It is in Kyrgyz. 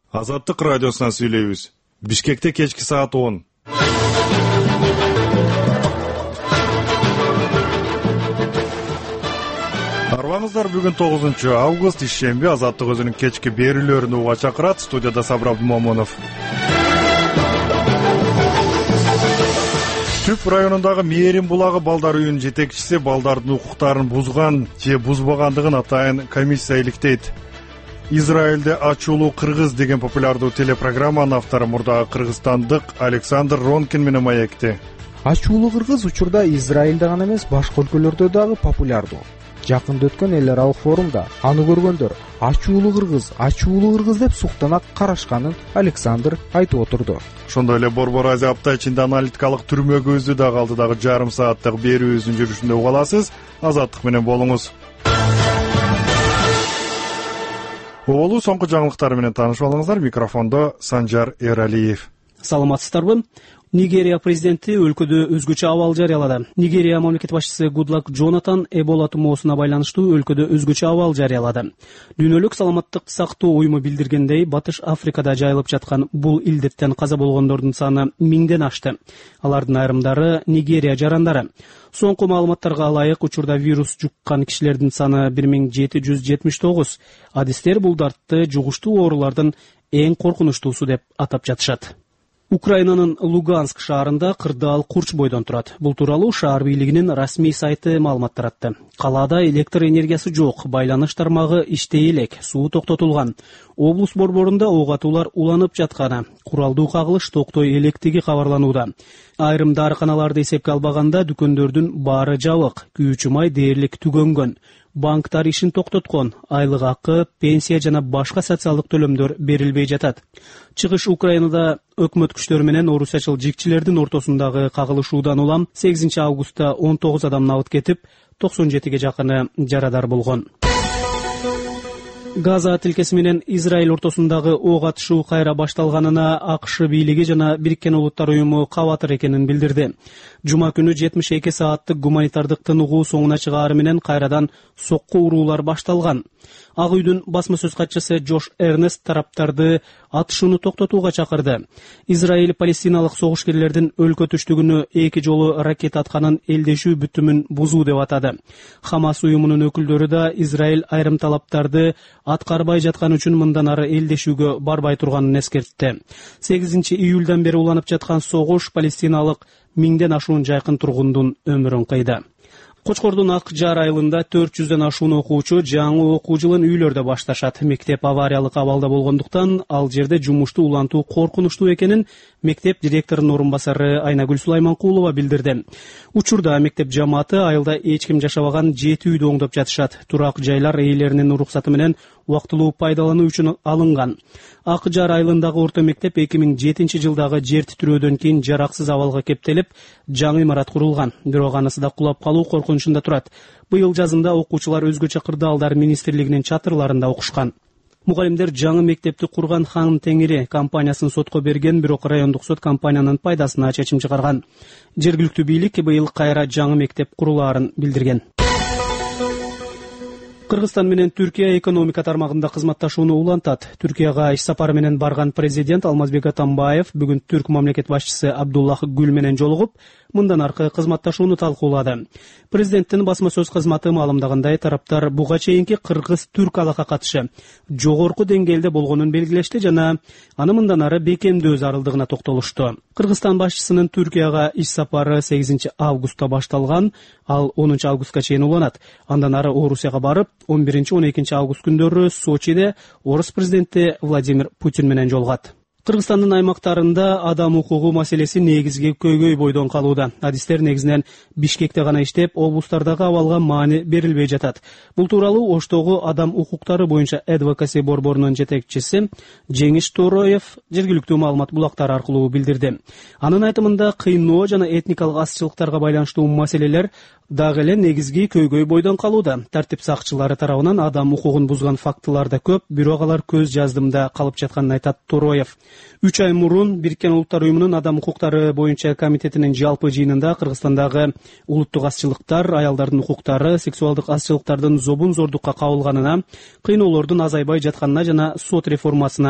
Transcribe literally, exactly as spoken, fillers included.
Азаттык радиосунан сүйлөйбүз. Бишкекте кечки саат он. Арбаңыздар, бүгүн тогузунчу август, ишемби. Азаттык өзүнүн кечки берүүлөрүн уга чакырат. Студияда Сабыр Абдумомунов. Түп районундагы Мээрим булагы балдар үйүнүн жетекчиси балдардын укуктарын бузган же бузбагандыгын атайын комиссия иликтейт. Израилде ачуулуу кыргыз деген популярдуу телепрограмманын автору мурдагы кыргызстандык Александр Ронкин менен маекти. Ачуулуу кыргыз учурда Израилде гана эмес, башка өлкөлөрдө дагы популярдуу. Жакында өткөн эл аралык форумда аны көргөндөр ачуулуу кыргыз, ачуулуу кыргыз деп суктана карашканын Александр айтып отурду. Ошондой эле Борбор Азия апта ичинде аналитикалык түрмөгө өзү дагы алдыдагы жарым сааттык берүүбүздүн жүрүшүндө уга аласыз. Азаттык менен болуңуз. Оолу соңку жаңылыктар менен таанышып алыңыздар. Микрофондо Санжар Эралиев. Саламатсыздарбы? Нигерия президенти өлкөдө өзгөчө абал жарыялады. Нигерия мамлекет башчысы Гудлак Джонатан Эбола тумоосуна байланыштуу өлкөдө өзгөчө абал жарыялады. Дүйнөлүк саламаттыкты сактоо уюму билдиргендей, Батыш Африкада жайылып жаткан бул илдеттен каза болгондордун саны миңден ашты. Алардын айрымдары Нигерия жарандары. Соңку маалыматтарга ылайык, учурда вирус жуккан кишилердин саны бир миң жети жүз жетимиш тогуз. Адистер бул дартты жугуштуу оорулардын эң коркунучтуусу деп атап жатышат. Украинанын Луганск шаарында кырдаал курч бойдон турат. Бул тууралуу шаар бийлигинин расмий сайты маалымат таратты. Калаада электр энергиясы жок, байланыш тармагы иштей элек, суу токтотулган. Облус борборунда ок атуулар уланып жатканы, куралдуу кагылыш токтой электиги кабарланууда. Айрым дарыканаларды эсепке албаганда дүкөндөрдүн баары жабык, күйүүчү май дээрлик түгөнгөн. Банктар ишин токтоткон, айлык акы, пенсия жана башка социалдык төлөмдөр берилбей жатат. Чыгыш Украинада өкмөт күчтөрү менен орусячыл жикчилердин ортосундагы кагылышуудан улам сегизинчи августта он тогуз адам набыт кетип, токсон жетиге жакыны жарадар болгон. Газа тилкеси менен Израиль ортосундагы ок атышуу кайра башталганына АКШ бийлиги жана Бириккен Улуттар уюму кабатыр экенин билдирди. Жума күнү жетимиш эки сааттык гуманитардык тыныгуу соңуна чыгаары менен кайрадан сокку уруулар башталган. Ак үйдүн басма сөз катчысы Джош Эрнест тараптарды атышууну токтотууга чакырды. Израиль палестиналык согушкерлердин өлкө түштүгүнө эки жолу ракета атканын элдешүү бүтүмүн бузуу деп атады. Хамас уюмунун өкүлдөрү да Израиль айрым талаптарды аткарбай жаткан үчүн мындан ары элдешүүгө барбай турганын эскертти. сегизинчи июлдан бери уланып жаткан согуш палестиналык миңден ашуун жайкын тургундун өмүрүн кыйды. Кочкордун Ак Жар айылында төрт жүздөн ашуун окуучу жаңы окуу жылын үйлөрдө башташат. Мектеп авариялык абалда болгондуктан ал жерде жумушту улантуу коркунучтуу экенин мектеп директорунун орун басары Айнагүл Сулайманкулова билдирди. Учурда мектеп жамааты айылда эч ким жашабаган жети үйдү оңдоп жатышат. Турак жайлар ээлеринин уруксаты менен убактылуу пайдалануу үчүн алынган. Ак Жар айылындагы орто мектеп эки миң жетинчи жылдагы жер титирөөдөн кийин жараксыз абалга кептелип, жаңы имарат курулган. Бирок анысы да кулап калуу коркунучунда турат. Быйыл жазында окуучулар өзгөчө кырдаалдар министрлигинин чатырларында окушкан. Мугалимдер жаңы мектепти курган Хан Теңири компаниясын сотко берген, бирок райондук сот компаниянын пайдасына чечим чыгарган. Жергиликтүү бийлик быйыл кайра жаңы мектеп курулаарын билдирген. Кыргызстан менен Түркия экономика тармагында кызматташууну улантат. Түркияга иш сапары менен барган президент Алмазбек Атамбаев бүгүн түрк мамлекет башчысы Абдуллах Гүл менен жолугуп, мындан аркы кызматташууну талкуулады. Президенттин басма сөз кызматы маалымдагандай, тараптар буга чейинки кыргыз-түрк алака катышы жогорку деңгээлде болгонун белгилешти жана аны мындан ары бекемдөө зарылдыгына токтолушту. Кыргызстан башчысынын Түркияга иш сапары сегизинчи августта башталган, ал онунчу августка чейин уланат. Андан ары Орусияга барып, он биринчи он экинчи август күндөрү Сочиде орус президенти Владимир Путин менен жолугат. Кыргызстандын аймактарында адам укугу маселеси негизги көйгөй бойдон калууда. Адистер негизинен Бишкекте гана иштеп, облустардагы абалга маани берилбей жатат. Бул тууралуу Оштогу адам укуктары боюнча Advocacy борборунун жетекчиси Жеңиш Тороев жергиликтүү маалымат булактары аркылуу билдирди. Анын айтымында кыйноо жана этникалык азчылыктарга байланыштуу маселелер дагы эле негизги көйгөй бойдон калууда. Тартип сакчылары тарабынан адам укугун бузган фактылар да көп, бирок алар көз жаздымда калып жатканын айтат Тороев. үч ай мурун Бириккен Улуттар уюмунун адам укуктары боюнча комитетинин жалпы жыйынында Кыргызстандагы улуттук азчылыктар, аялдардын укуктары, сексуалдык азчылыктардын зобун зордукка кабылганына, кыйноолордун азайбай жатканына жана сот реформасына